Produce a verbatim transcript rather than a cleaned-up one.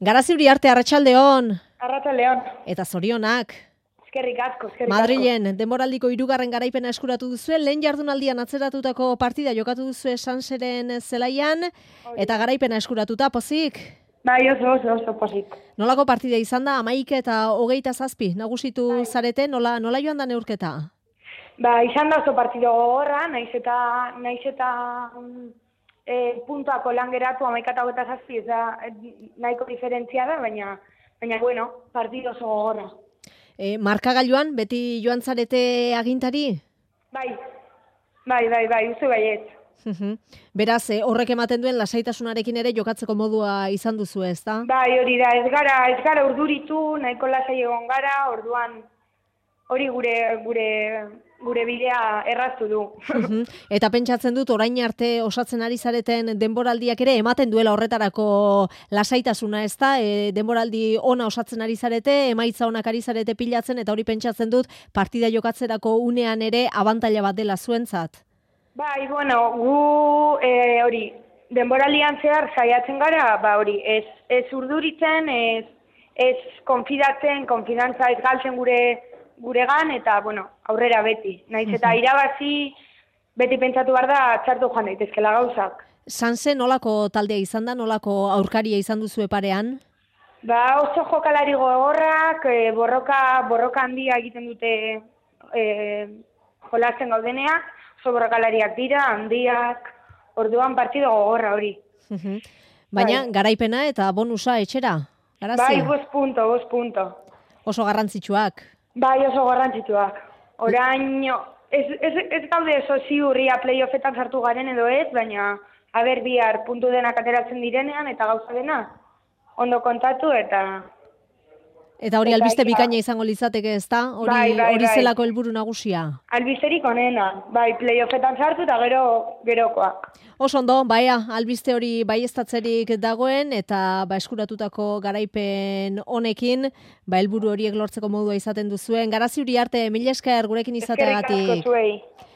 Garazi Uriarte, arratsaldeon. Arratsaldeon. Eta zorionak. Eskerrik asko, eskerrik asko. Madrilen, denboraldiko hirugarren garaipena eskuratu duzue, lehen jardunaldian atzeratutako partida jokatu duzue Sanseren zelaian, eta garaipena eskuratuta, pozik? Bai, oso, oso, oso pozik. Nolako partida izan da, amaik eta hogeita zazpi, nagusitu bai. Zarete, nola, nola joan da neurketa? Ba, izan da oso partido gogorra, naiz eta, naiz eta e, puntuako lan geratu amaik eta hogeita zazpi, ez da nahiko diferentzia da, baina, baina bueno, partido oso gogorra. E, markagailuan, beti joan zarete agintari? Bai, bai, bai, bai, uste baiet. Beraz, horrek ematen duen lasaitasunarekin ere jokatzeko modua izan duzu, ez da? Bai, hori da, ez gara, ez gara urduritu, nahiko lasai egon gara, orduan hori gure, gure, gure bidea erraztu du. Eta pentsatzen dut, orain arte osatzen ari zareten denboraldiak ere ematen duela horretarako lasaitasuna, ez da? E, denboraldi ona osatzen ari zarete, emaitza onak ari zarete pilatzen, eta hori pentsatzen dut partida jokatzerako unean ere abantaila bat dela zuentzat. Bai, bueno, gu e, hori, denboraldian zehar saiatzen gara, ba hori, ez, ez urduritzen, ez, ez konfidatzen, konfidantza ez galtzen gure guregan, eta, bueno, aurrera beti. Naiz eta irabazi, beti pentsatu behar da, txartu joan daitezkela gauzak. Sanse nolako taldea izan da, nolako aurkaria izan duzu parean? Ba, oso jokalari gogorrak, e, borroka, borroka handia egiten dute e, jolasten gaudenea, oso borrokalariak dira, handiak, orduan partido gogorra hori. Baina, bai. Garaipena eta bonusa etxera? Garazi? Bai, bost punto, bost punto. Oso garrantzitsuak? Bai, oso garrantzituak. Orain, ez, ez, ez gaude oso ziurria playoffetan sartu garen edo ez, baina aber bihar puntu denak ateratzen direnean eta gauza dena ondo kontatu eta... Eta hori albiste bikaina izango litzateke, ez da? Hori, bai, bai, hori bai. zelako helburu nagusia? Albisterik onena, bai, playoffetan sartu eta gero gerokoak. Oso ondo, baia, albiste hori baieztatzerik dagoen, eta ba, eskuratutako garaipen honekin, ba, helburu horiek lortzeko modua izaten duzuen. Garazi Uriarte, mila esker gurekin izateagatik. Eskerrik asko zuei.